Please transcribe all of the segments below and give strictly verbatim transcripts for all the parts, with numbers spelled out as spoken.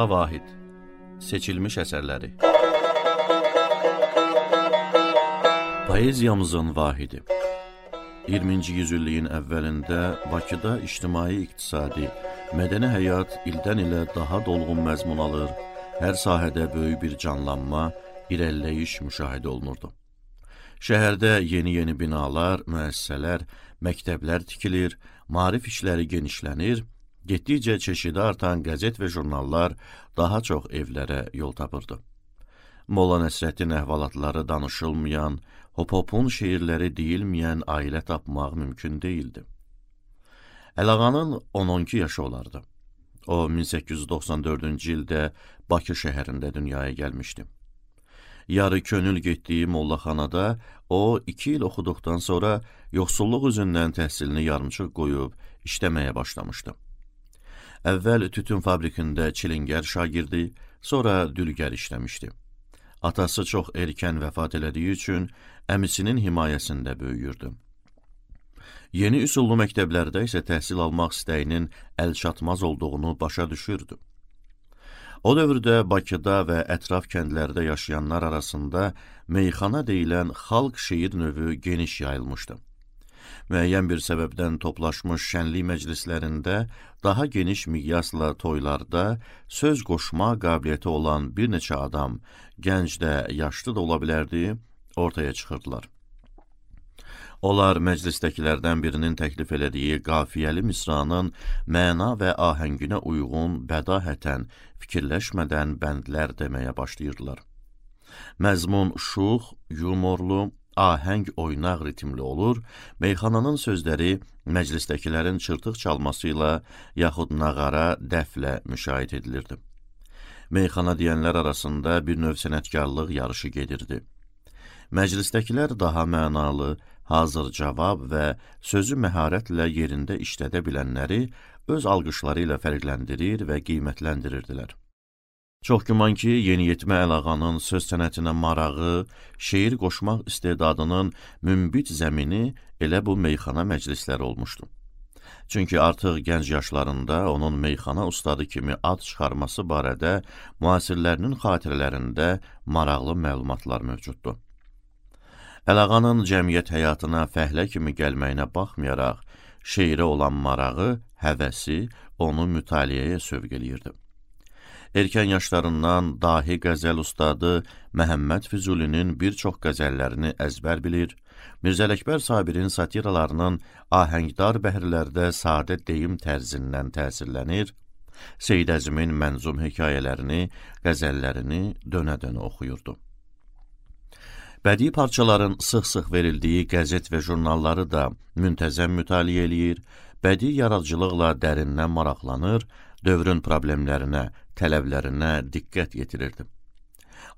Ağa Vahid, seçilmiş əsərləri. Poeziyamızın vahidi. iyirminci yüzilliyin əvvəlində Bakıda ictimai-iqtisadi, mədəni həyat ildən ilə daha dolğun məzmun alır, hər sahədə böyük bir canlanma, irəliləyiş müşahidə olunurdu. Şəhərdə yeni-yeni binalar, müəssisələr, məktəblər tikilir, maarif işləri genişlənir, getdikcə çeşidi artan qəzet və jurnallar daha çox evlərə yol tapırdı. Molla Nəsrəddin əhvalatları danışılmayan, hop-hopun şeirləri deyilməyən ailə tapmaq mümkün değildi. Əlağanın on on iki yaşı olardı. O, min səkkiz yüz doxsan dördüncü ildə Bakı şəhərində dünyaya gəlmişdi. Yarı könül getdiyi mollaxanada o, iki il oxuduqdan sonra yoxsulluq üzündən təhsilini yarımçıq qoyub işləməyə başlamışdı. Əvvəl tütün fabrikində çilingər şagirdi, sonra dülgər işləmişdi. Atası çox erkən vəfat elədiyi üçün əmisinin himayəsində böyüyürdü. Yeni üsullu məktəblərdə isə təhsil almaq istəyinin əlçatmaz olduğunu başa düşürdü. O dövrdə Bakıda və ətraf kəndlərdə yaşayanlar arasında meyxana deyilən xalq şeir növü geniş yayılmışdı. Müəyyən bir səbəbdən toplaşmış şənlik məclislərində, daha geniş miqyasla toylarda söz qoşma qabiliyyəti olan bir neçə adam, gənc də, yaşlı da ola bilərdi, ortaya çıxırdılar. Onlar məclisdəkilərdən birinin təklif elədiyi qafiyəli misranın məna və ahənginə uyğun, bədahətən, fikirləşmədən bəndlər deməyə başlayırdılar. Məzmun şux, yumorlu, ahəng oynaq ritmli olur, meyxananın sözləri məclisdəkilərin çırtıq çalması ilə yaxud nağara, dəflə müşahidə edilirdi. Meyxana deyənlər arasında bir növ sənətkarlıq yarışı gedirdi. Məclisdəkilər daha mənalı, hazır cavab və sözü məharətlə yerində işlədə bilənləri öz alqışları ilə fərqləndirir və qiymətləndirirdilər. Çox güman ki, yeniyetmə Əlağanın söz sənətinə marağı, şeir qoşmaq istedadının mümbit zəmini elə bu meyxana məclisləri olmuşdu. Çünki artıq gənc yaşlarında onun meyxana ustadı kimi ad çıxarması barədə müasirlərinin xatirələrində maraqlı məlumatlar mövcuddur. Əlağanın cəmiyyət həyatına fəhlə kimi gəlməyinə baxmayaraq, şeirə olan marağı, həvəsi onu mütaliəyə sövq eləyirdi. Erkən yaşlarından dahi qəzəl ustadı Məhəmməd Füzulinin bir çox qəzəllərini əzbər bilir, Mirzə Ələkbər Sabirin satiralarının ahəngdar bəhrlərdə sadə deyim tərzindən təsirlənir, Seyid Əzimin mənzum hekayələrini, qəzəllərini dönə-dönə oxuyurdu. Bədii parçaların sıx-sıx verildiyi qəzet və jurnalları da müntəzəm mütaliə eləyir, bədii yaradıcılıqla dərindən maraqlanır, dövrün problemlərinə, tələblərinə diqqət yetirirdi.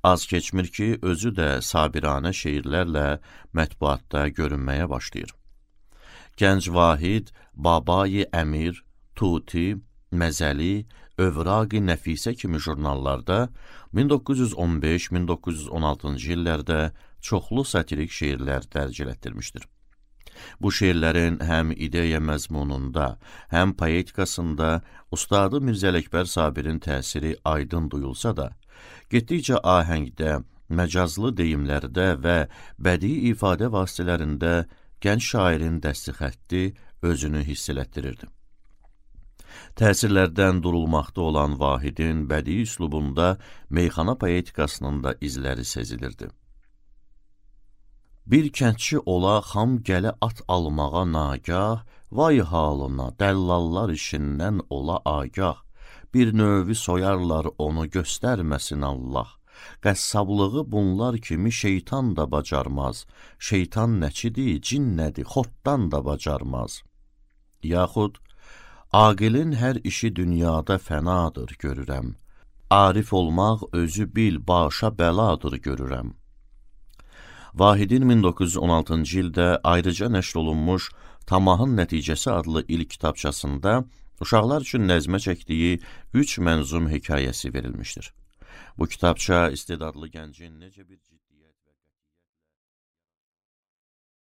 Az keçmir ki, özü də sabiranə şeirlərlə mətbuatda görünməyə başlayır. Gənc Vahid, Babai Əmir, Tuti, Məzəli, Övraqi Nəfisə kimi jurnallarda min doqquz yüz on beş min doqquz yüz on altıncı illərdə çoxlu satirik şeirlər dərc elətdirmişdir. Bu şeirlərin həm ideya məzmununda, həm poetikasında ustadı Mirzə Ələkbər Sabirin təsiri aydın duyulsa da, getdikcə ahəngdə, məcazlı deyimlərdə və bədii ifadə vasitələrində gənc şairin dəsti xətti özünü hiss elətdirirdi. Təsirlərdən durulmaqda olan Vahidin bədii üslubunda meyxana poetikasının da izləri sezilirdi. Bir kəndçi ola xam gələ at almağa nagah, vay halına dəllallar işindən ola agah, bir növü soyarlar onu göstərməsin Allah, qəssablığı bunlar kimi şeytan da bacarmaz, şeytan nəçidir, cin nədir, xortdan da bacarmaz. Yaxud, aqilin hər işi dünyada fənadır görürəm, arif olmaq özü bil başa bəladır görürəm. Vahidin min doqquz yüz on altıncı ildə ayrıca nəşr olunmuş Tamahın Nəticəsi adlı ilk kitabçasında uşaqlar üçün nəzmə çəkdiyi üç mənzum hekayəsi verilmişdir. Bu kitabça istedadlı gəncin necə bir